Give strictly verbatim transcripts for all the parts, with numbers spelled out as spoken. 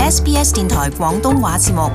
S B S 電台廣東話節目。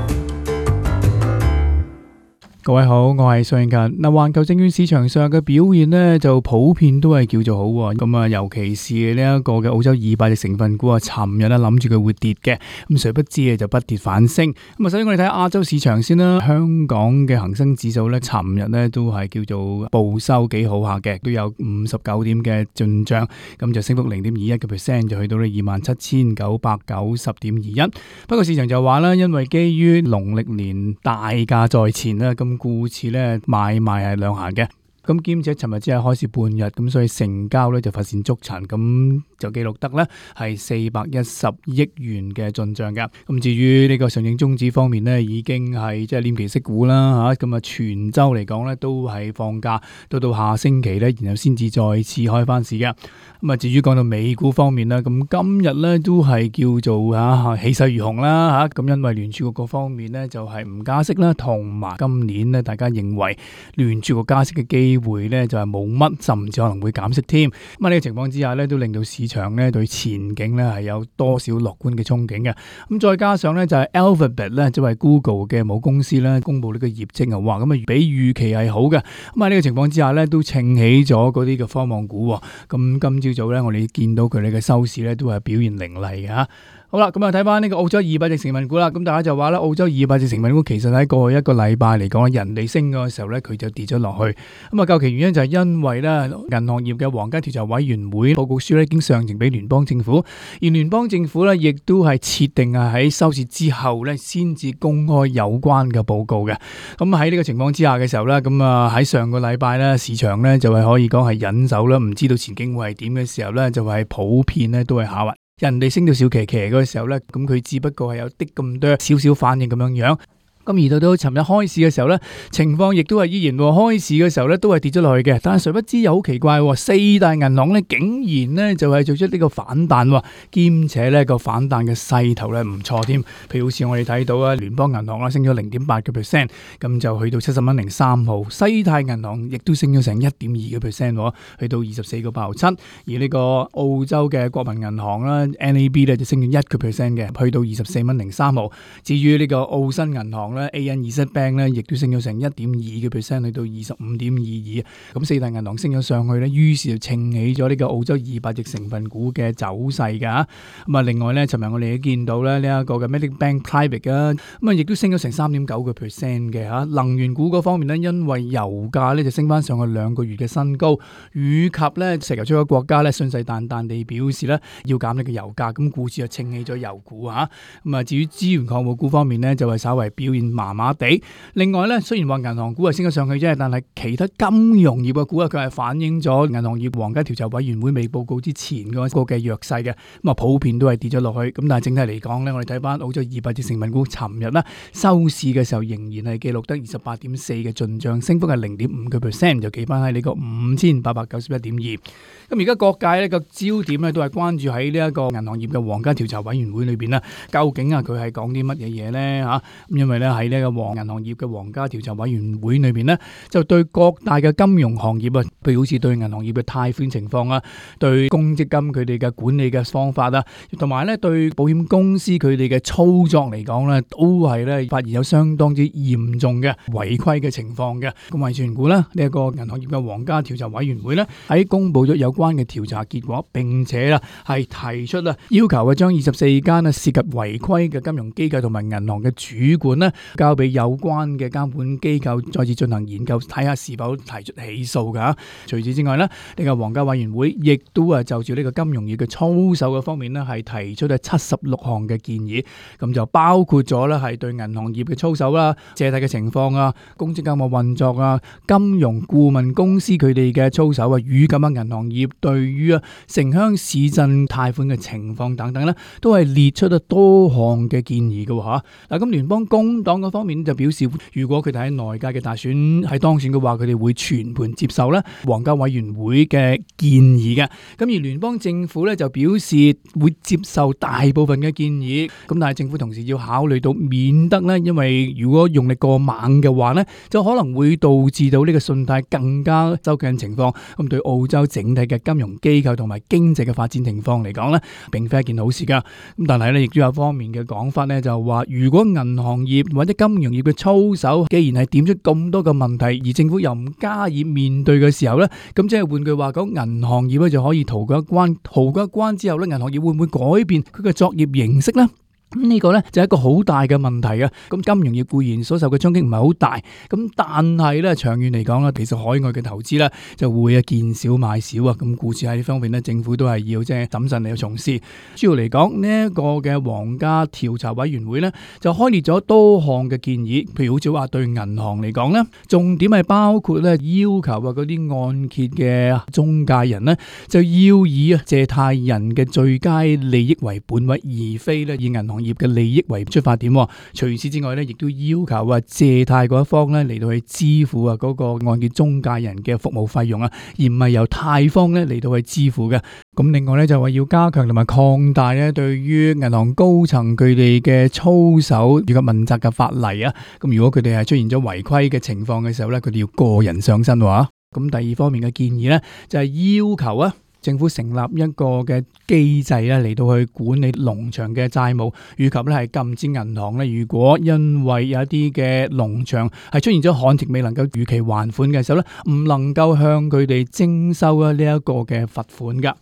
各位好，我係蘇永勤。嗱，環球證券市場上嘅表現呢，就普遍都係叫做好喎。咁啊，尤其是呢一個嘅澳洲二百隻成分股啊，尋日咧諗住佢會跌嘅，咁誰不知啊就不跌反升。咁啊，首先我哋睇亞洲市場先啦。香港嘅恒生指數呢，尋日呢都係叫做報收幾好下嘅，都有五十九點嘅進賬，咁就升幅零點二一嘅 percent， 就去到呢二萬七千九百九十點二一。不過市場就話啦，因為基於農曆年大假在前啦，咁故此咧買賣係兩行嘅，咁兼且尋日只係開市半日，咁所以成交咧就乏善足陳，咁就記錄得咧係四百一十億元嘅進賬嘅。咁至於呢個上證綜指方面呢，已經係即係黏期息股啦嚇，咁啊全周嚟講咧都係放假，到到下星期咧，然後先至再次開翻市嘅。咁啊，至於講到美股方面啦，咁今日咧都係叫做嚇氣勢如虹啦嚇，咁因為聯儲局嗰方面咧就係唔加息啦，同埋今年咧大家認為聯儲局加息嘅機會咧就係冇乜，甚至可能會減息添。咁喺呢個情況之下咧，都令到市場咧對前景咧係有多少樂觀嘅憧憬嘅。咁再加上咧就係 Alphabet 咧，即係 Google 嘅母公司咧，公布呢個業績啊，哇咁啊比預期係好嘅。咁喺呢個情況之下咧，都撐起咗嗰啲嘅科網股。咁今朝早咧，我哋見到佢哋嘅收市咧都係表現凌厲嘅嚇。好啦，咁啊睇翻呢個澳洲二百隻成分股啦，咁大家就話啦，澳洲二百隻成分股其實喺過去一個禮拜嚟講，人哋升嘅時候咧，佢就跌咗落去。咁啊，究其原因就係因為咧，銀行業嘅皇家調查委員會報告書咧已經上呈俾聯邦政府，而聯邦政府咧亦都係設定啊喺收市之後咧先至公開有關嘅報告嘅。咁喺呢個情況之下嘅時候咧，咁啊喺上個禮拜咧，市場咧就係可以講係忍手啦，唔知道前景會係點嘅時候咧，就係普遍咧都係下滑。人哋升到小騎騎嗰個時候咧，咁佢只不過係有啲咁多少少反應咁樣樣。咁而到到尋日開市嘅時候咧，情況亦都係依然喎。開市嘅時候咧都係跌咗落去嘅，但係誰不知又好奇怪，四大銀行咧竟然咧就係做出呢個反彈，兼且咧個反彈嘅勢頭咧唔錯添。譬如好似我哋睇到啊，聯邦銀行啦升咗零點八個 percent， 咁就去到七十蚊零三毫。西太銀行亦都升咗成一點二個 percent， 去到二十四個八毫七。而呢個澳洲嘅國民銀行啦 N A B 咧就升咗一個 percent 嘅，去到二十四蚊零三毫。至於呢個澳新銀行A N Z Bank 咧，亦都升咗成一點二個 percent， 去到二十五點二二。咁四大銀行升咗上去咧，於是就撐起咗呢個澳洲二百隻成分股嘅走勢噶。咁啊，另外咧，尋日我哋都見到咧呢一個嘅 Medibank Private 啊，咁啊亦都升咗成三點九個 percent 嘅吓。能源股嗰方面咧，因為油價咧就升翻上去兩個月嘅新高，以及咧石油出口國家咧信誓旦旦地表示咧要減呢個油價，咁故此就撐起咗油股吓。咁啊，至於資源礦物股方面咧，就係稍為表現麻麻地。另外咧，雖然話銀行股係升咗上去啫，但係其他金融業嘅股啊，佢係反映咗銀行業皇家調查委員會未報告之前嗰個嘅弱勢嘅，咁啊普遍都係跌咗落去。咁但係整體嚟講咧，我哋睇翻澳洲二百隻成分股，尋日咧收市嘅時候仍然係記錄得二十八點四嘅進賬，升幅係零點五個 percent， 就企翻喺呢個五千八百九十一點二。咁而家各界呢個焦點咧都係關注喺呢一個銀行業嘅皇家調查委員會裏邊啦，究竟啊佢係講啲乜嘢嘢咧吓？咁因為咧喺呢個黃銀行業嘅皇家調查委員會裏邊呢，就對各大嘅金融行業啊，譬如好似對銀行業嘅貸款情況啊，對公積金佢哋嘅管理嘅方法啊，同埋咧對保險公司佢哋嘅操作嚟講咧，都係咧發現有相當之嚴重嘅違規嘅情況嘅。咁維權股咧呢一個銀行業嘅皇家調查委員會咧喺公布咗有關嘅調查結果，並且啦係提出啦要求啊將二十四間啊涉及違規嘅金融機構同埋銀行嘅主管咧交俾有關嘅監管機構再次進行研究，睇下是否提出起訴噶。除此之外咧，呢個皇家委員會亦都係就住呢個金融業嘅操守嘅方面咧，係提出咗七十六項嘅建議。咁就包括咗咧係對銀行業嘅操守啦、借貸嘅情況啊、公積金嘅運作啊、金融顧問公司佢哋嘅操守啊，與咁啊銀行業對於啊城鄉市鎮貸款嘅情況等等咧，都係列出咗多項嘅建議嘅吓。嗱，咁聯邦工黨黨嗰方面就表示，如果佢哋喺內屆嘅大選係當選嘅話，佢哋會全盤接受咧皇家委員會嘅建議嘅。咁而聯邦政府咧就表示會接受大部分嘅建議。咁但係政府同時要考慮到，免得咧，因為如果用力過猛嘅話咧，就可能會導致到呢個信貸更加收緊情況。咁對澳洲整體嘅金融機構同埋經濟嘅發展情況嚟講咧，並非一件好事噶。咁但係咧，亦都有方面嘅講法咧，就話如果銀行業或者金融業嘅操守，既然係點出咁多嘅問題，而政府又唔加以面對嘅時候咧，咁即係換句話講，銀行業咧就可以逃過一關。逃過一關之後咧，銀行業會唔會改變佢嘅作業形式呢？咁呢個咧就係一個好大嘅問題啊！咁金融業固然所受嘅衝擊唔係好大，咁但係咧長遠嚟講咧，其實海外嘅投資咧就會啊見少買少啊！咁故此喺呢方面咧，政府都係要即係審慎嚟去從事。主要嚟講呢一個嘅皇家調查委員會咧，就開列咗多項嘅建議，譬如好似話對銀行嚟講咧，重點係包括咧要求啊嗰啲按揭嘅中介人咧，就要以啊借貸人嘅最佳利益為本位，而非咧以銀行業嘅利益為出發點。除此之外咧，亦都要求啊借貸嗰一方咧嚟到去支付啊嗰個按揭中介人嘅服務費用啊，而唔係由貸方咧嚟到去支付嘅。咁另外咧就話要加強同埋擴大咧對於銀行高層佢哋嘅操守以及問責嘅法例啊。咁如果佢哋係出現咗違規嘅情況嘅時候咧，佢哋要個人上身喎。咁第二方面嘅建議咧就係要求啊政府成立一個嘅機制咧，嚟到去管理農場嘅債務，以及咧係禁止銀行咧，如果因為有一啲嘅農場係出現咗旱情未能夠如期還款嘅時候咧，唔能夠向佢哋徵收啊呢一個嘅罰款噶。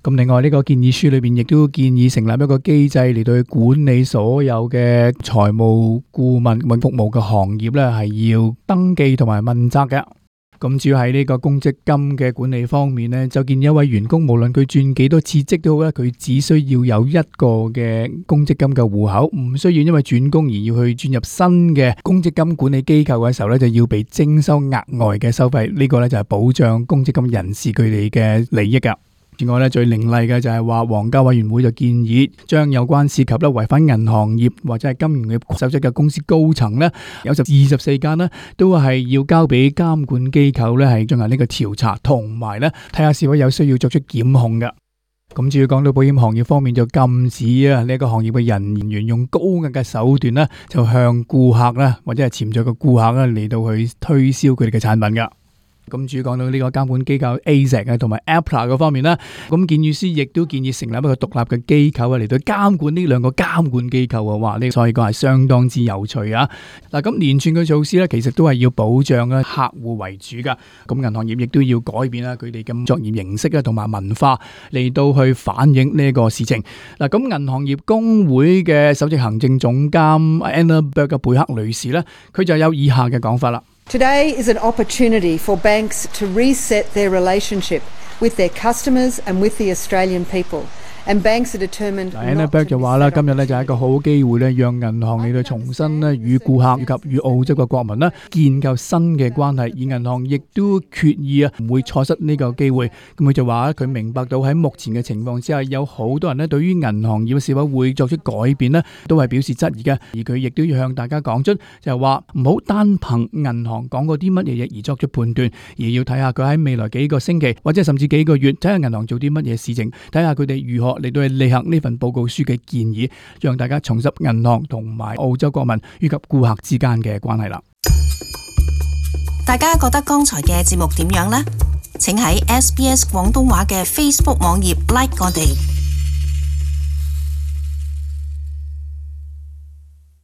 咁另外呢個建議書裏邊亦都建議成立一個機制嚟到去管理所有嘅財務顧問或服務嘅行業咧，係要登記同埋問責嘅。咁主要喺呢個公積金嘅管理方面呢，就見一位員工無論佢轉幾多次職都好咧，佢只需要有一個嘅公積金嘅戶口，唔需要因為轉工而要去轉入新嘅公積金管理機構嘅時候咧，就要被徵收額外嘅收費。呢個咧就係保障公積金人士佢哋嘅利益噶。另外咧，最凌厲嘅就係話，皇家委員會就建議將有關涉及咧違反銀行業或者係金融業守則嘅公司高層咧，有就二十四間咧，都係要交俾監管機構咧係進行呢個調查，同埋咧睇下是否有需要作出檢控嘅。咁至於講到保險行業方面，就禁止啊呢一個行業嘅人員用高額嘅手段咧，就向顧客啦或者係潛在嘅顧客咧嚟到去推銷佢哋嘅產品噶。咁至於講到呢個監管機構 A Z 啊同埋 A P R A 嗰方面啦，咁建議書亦都建議成立一個獨立嘅機構啊嚟到監管呢兩個監管機構啊，哇！呢所以講係相當之有趣啊。嗱，咁連串嘅措施咧，其實都係要保障啊客戶為主噶。咁銀行業亦都要改變啦佢哋嘅作業形式啊同埋文化嚟到去反映呢個事情。嗱，咁銀行業工會嘅首席行政總監 Anna Berg 嘅貝克女士咧，佢就有以下嘅講法啦。Today is an opportunity for banks to reset their relationship with their customers and with the Australian people. And banks are determined. Anna Berg 就話啦，今日咧就係一個好機會咧，讓銀行嚟到重新咧與顧客以及與澳洲嘅國民咧建構新嘅關係，而銀行亦都決意啊唔會錯失呢個機會。咁佢就話佢明白到喺目前嘅情況之下，有好多人咧對於銀行業是否會作出改變咧，都係表示質疑嘅。而佢亦都要向大家講出，就係話唔好單憑銀行講過啲乜嘢嘢而作出判斷，而要睇下佢喺未來幾個星期或者甚至幾個月，睇下銀行做啲乜嘢事情，睇下佢哋如何嚟到去履行呢份報告書嘅建議，讓大家重拾銀行同埋澳洲國民以及顧客之間嘅關係啦。大家覺得剛才嘅節目點樣呢？請喺 S B S 廣東話嘅 Facebook 網頁 like 我哋。